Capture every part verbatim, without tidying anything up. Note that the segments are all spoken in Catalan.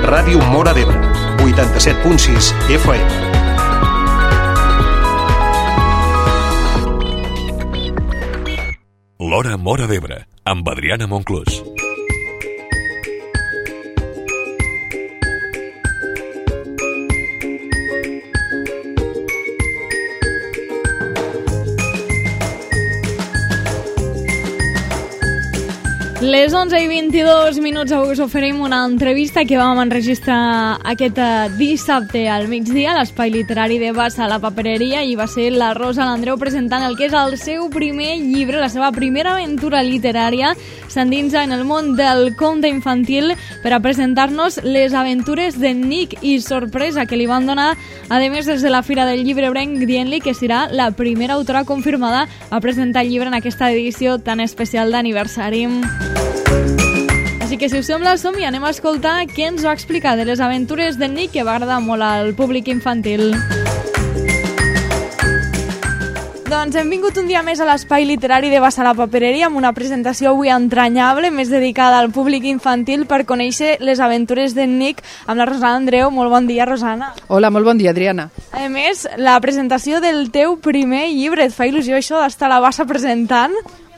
Ràdio Móra d'Ebre, vuitanta-set punt sis F M. L'Hora Móra d'Ebre, amb Adriana Monclús. Les onze i vint-i-dos minuts avui us oferim una entrevista que vam enregistrar aquest dissabte al migdia a l'Espai Literari de Bassa a la Papereria, i va ser la Rosa Landreu presentant el que és el seu primer llibre, la seva primera aventura literària. S'endinsa en el món del conte infantil per a presentar-nos les aventures de Nick, i sorpresa que li van donar, a més, des de la Fira del Llibre Ebrenc, dient-li que serà la primera autora confirmada a presentar el llibre en aquesta edició tan especial d'aniversari. Així que, si us sembla, som i anem a escoltar què ens va explicar de les aventures de Nick, que va agradar molt al públic infantil. Doncs hem vingut un dia més a l'Espai Literari de Bassa a la Papereria amb una presentació avui entranyable, més dedicada al públic infantil, per conèixer les aventures de Nick amb la Rosana Andreu. Molt bon dia, Rosana. Hola, molt bon dia, Adriana. A més, la presentació del teu primer llibre, et fa il·lusió això d'estar a la Bassa presentant?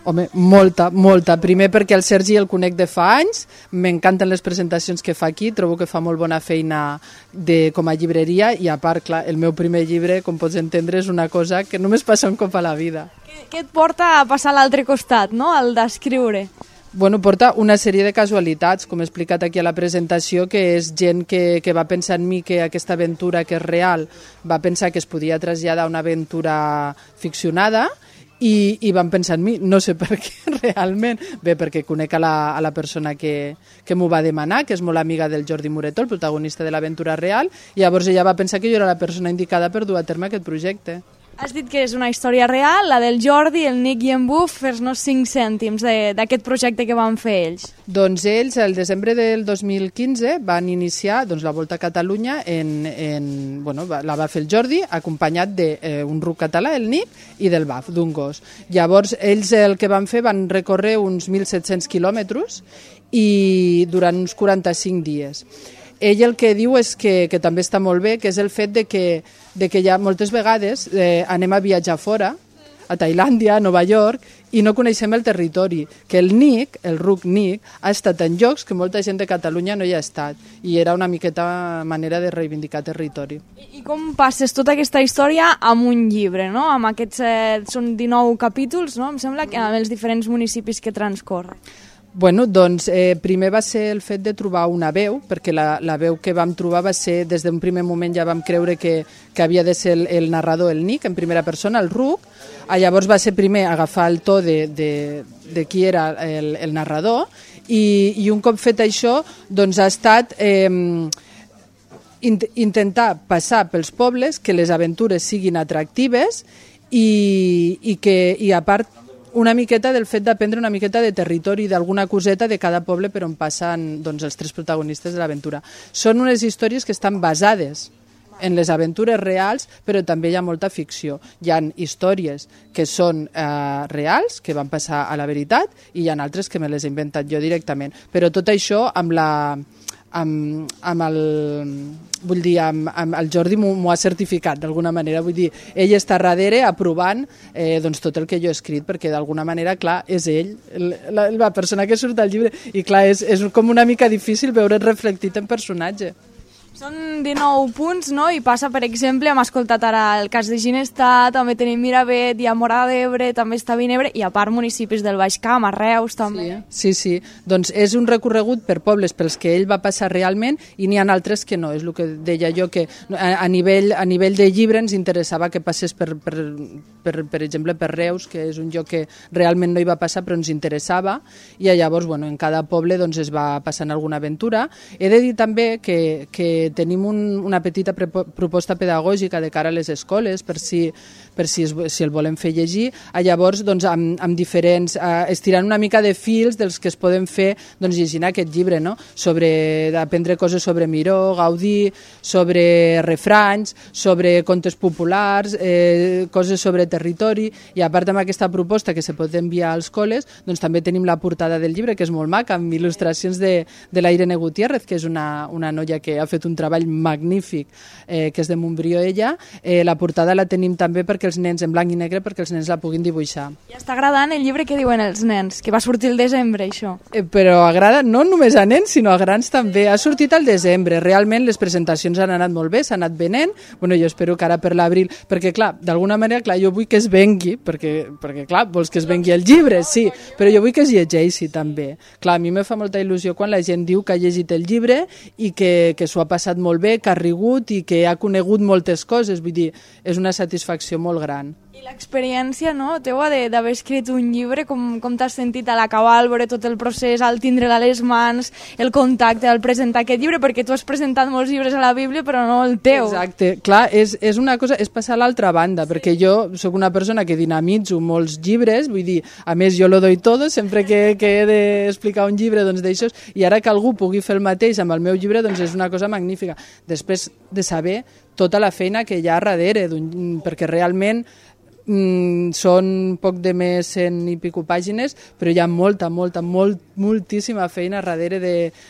Home, molta, molta. Primer perquè el Sergi el conec de fa anys, m'encanten les presentacions que fa aquí, trobo que fa molt bona feina de, com a llibreria, i a part, clar, el meu primer llibre, com pots entendre, és una cosa que només passa un cop a la vida. Què, què et porta a passar a l'altre costat, no?, el d'escriure? Bueno, porta una sèrie de casualitats, com he explicat aquí a la presentació, que és gent que, que va pensar en mi que aquesta aventura, que és real, va pensar que es podia traslladar a una aventura ficcionada, I, i van pensar en mi, no sé per què realment, bé, perquè conec a la, a la persona que, que m'ho va demanar, que és molt amiga del Jordi Moretó, el protagonista de l'aventura real, i llavors ella va pensar que jo era la persona indicada per dur a terme aquest projecte. Has dit que és una història real, la del Jordi, el Nick i en Buf. Fes-nos cinc cèntims d'aquest projecte que van fer ells. Doncs ells, el desembre del dos mil quinze, van iniciar doncs, la Volta a Catalunya, en, en, bueno, la va fer el Jordi, acompanyat d'un eh, ruc català, el Nick, i del Baf, d'un gos. Llavors, ells el que van fer, van recórrer uns mil set-cents quilòmetres i durant uns quaranta-cinc dies. Ell el que diu és que, que també està molt bé, que és el fet de que, de que ja moltes vegades eh, anem a viatjar fora, a Tailàndia, a Nova York, i no coneixem el territori, que el Nick, el ruc Nick, ha estat en llocs que molta gent de Catalunya no hi ha estat, i era una miqueta manera de reivindicar territori. I, i com passes tota aquesta història amb un llibre, no? Amb aquests, eh, són dinou capítols, no? Em sembla que amb els diferents municipis que transcorre. Bueno, doncs eh, primer va ser el fet de trobar una veu, perquè la, la veu que vam trobar va ser, des d'un primer moment ja vam creure que, que havia de ser el, el narrador, el Nick, en primera persona, el ruc. Ah, llavors va ser primer agafar el to de, de, de qui era el, el narrador, i, i un cop fet això, doncs ha estat eh, int, intentar passar pels pobles, que les aventures siguin atractives, i, i que, i a part, una miqueta del fet d'aprendre una miqueta de territori, d'alguna coseta de cada poble per on passen doncs, els tres protagonistes de l'aventura. Són unes històries que estan basades en les aventures reals, però també hi ha molta ficció. Hi ha històries que són eh, reals, que van passar a la veritat, i hi ha altres que me les he inventat jo directament. Però tot això amb la... Amb, amb el vull dir, amb, amb el Jordi m'ho ha certificat d'alguna manera, vull dir, ell està darrere aprovant eh, doncs tot el que jo he escrit, perquè d'alguna manera, clar, és ell la, la persona que surt al llibre, i clar, és, és com una mica difícil veure't reflectit en personatge. Són dinou punts, no? I passa, per exemple, hem escoltat ara el cas de Ginestar, també tenim Miravet, hi ha Móra d'Ebre, també està Vinebre, i a part municipis del Baix Camp, a Reus també. Sí, sí, sí. Doncs és un recorregut per pobles pels que ell va passar realment, i n'hi ha altres que no. És el que deia jo, que a, a, nivell, a nivell de llibre ens interessava que passés per, per, per, per exemple, per Reus, que és un lloc que realment no hi va passar però ens interessava, i llavors, bueno, en cada poble doncs, es va passant alguna aventura. He de dir també que, que tenim un, una petita proposta pedagògica de cara a les escoles, per si, per si, es, si el volem fer llegir. A llavors, doncs, amb, amb diferents, eh, estirant una mica de fils dels que es poden fer doncs, llegint aquest llibre, no? Sobre aprendre coses sobre Miró, Gaudí, sobre refranys, sobre contes populars, eh, coses sobre territori, i a part amb aquesta proposta que se pot enviar als col·les, doncs també tenim la portada del llibre, que és molt maca, amb il·lustracions de, de la Irene Gutiérrez, que és una, una noia que ha fet un treball magnífic, eh, que és de Montbrió ella. Eh, la portada la tenim també perquè els nens, en blanc i negre, perquè els nens la puguin dibuixar. I està agradant el llibre que diuen els nens, que va sortir el desembre, això. Eh, però agrada no només a nens, sinó a grans també. Ha sortit al desembre. Realment les presentacions han anat molt bé, s'ha anat venent. Bueno, jo espero que ara per l'abril, perquè clar, d'alguna manera, clar, jo vull que es vengui, perquè, perquè clar, vols que es vengui el llibre, sí, però jo vull que es llegeixi també. Clar, a mi me fa molta il·lusió quan la gent diu que ha llegit el llibre i que, que s'ho ha passat molt bé, que ha rigut i que ha conegut moltes coses, vull dir, és una satisfacció molt gran. I l'experiència, no, teua, d'haver escrit un llibre, com, com t'has sentit a l'acabar, al veure tot el procés, al tindre-la a les mans, el contacte, al presentar aquest llibre, perquè tu has presentat molts llibres a la Bíblia, però no el teu. Exacte, clar, és, és una cosa, és passar a l'altra banda, perquè jo sóc una persona que dinamitzo molts llibres, vull dir, a més jo lo doy todo, sempre que, que he d'explicar un llibre, doncs d'això, i ara que algú pugui fer el mateix amb el meu llibre, doncs és una cosa magnífica. Després de saber tota la feina que hi ha darrere, perquè realment mm, són poc de més cent i pico pàgines, però hi ha molta, molta, molt, moltíssima feina darrere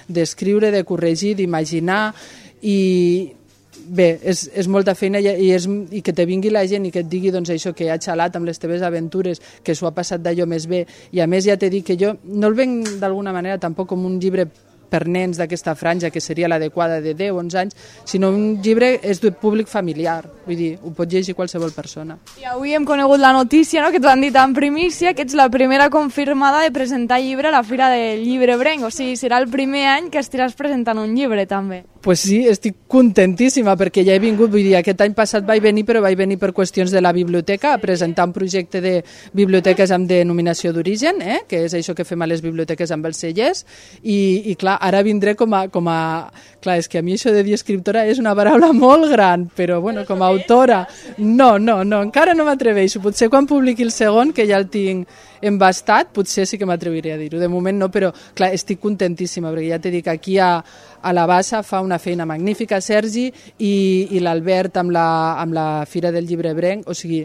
d'escriure, de, de corregir, d'imaginar, i bé, és, és molta feina i, i, és, i que te vingui la gent i que et digui doncs, això, que ha xalat amb les teves aventures, que s'ho ha passat d'allò més bé, i a més ja t'he dit que jo no el venc d'alguna manera tampoc com un llibre per nens d'aquesta franja, que seria l'adequada de deu onze anys, sinó un llibre és de públic familiar, vull dir, ho pot llegir qualsevol persona. I avui hem conegut la notícia, no?, que t'ho han dit en primícia, que ets la primera confirmada de presentar llibre a la Fira del Llibre Brenc, o sigui, serà el primer any que estiràs presentant un llibre, també. Pues sí, estic contentíssima, perquè ja he vingut, vull dir, aquest any passat vaig venir, però vaig venir per qüestions de la biblioteca, a presentar un projecte de biblioteques amb denominació d'origen, eh? Que és això que fem a les biblioteques amb els cellers, i, i clar, ara vindré com a, com a... Clar, és que a mi això de dir escriptora és una paraula molt gran, però bueno, com a autora... No, no, no, encara no m'atreveixo. Potser quan publiqui el segon, que ja el tinc embastat, potser sí que m'atreviré a dir-ho. De moment no, però clar, estic contentíssima, perquè ja t'he dit que aquí a, a la Bassa fa una feina magnífica, Sergi, i, i l'Albert amb la, amb la Fira del Llibre Brenc, o sigui,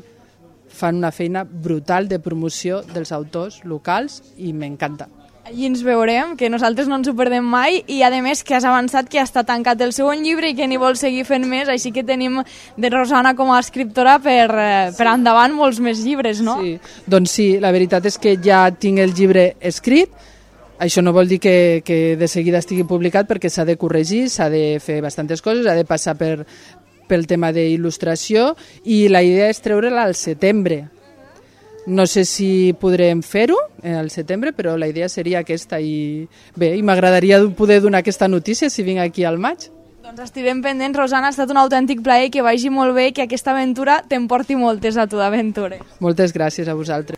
fan una feina brutal de promoció dels autors locals i m'encanta. Allí ens veurem, que nosaltres no ens ho perdem mai, i a més que has avançat que ja està tancat el segon llibre i que n'hi vols seguir fent més, així que tenim de Rosana com a escriptora per, per endavant molts més llibres, no? Sí, doncs sí, la veritat és que ja tinc el llibre escrit. Això no vol dir que, que de seguida estigui publicat, perquè s'ha de corregir, s'ha de fer bastantes coses, ha de passar per, pel tema d'il·lustració, i la idea és treure-la al setembre. No sé si podrem fer-ho al setembre, però la idea seria aquesta, i bé, i m'agradaria poder donar aquesta notícia si vinc aquí al maig. Doncs estirem pendents, Rosana, ha estat un autèntic plaer, que vagi molt bé, que aquesta aventura t'emporti moltes a tu d'aventures. Moltes gràcies a vosaltres.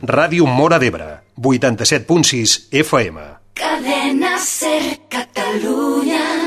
Ràdio Móra d'Ebre, vuitanta-set punt sis F M. Cadena Ser Catalunya.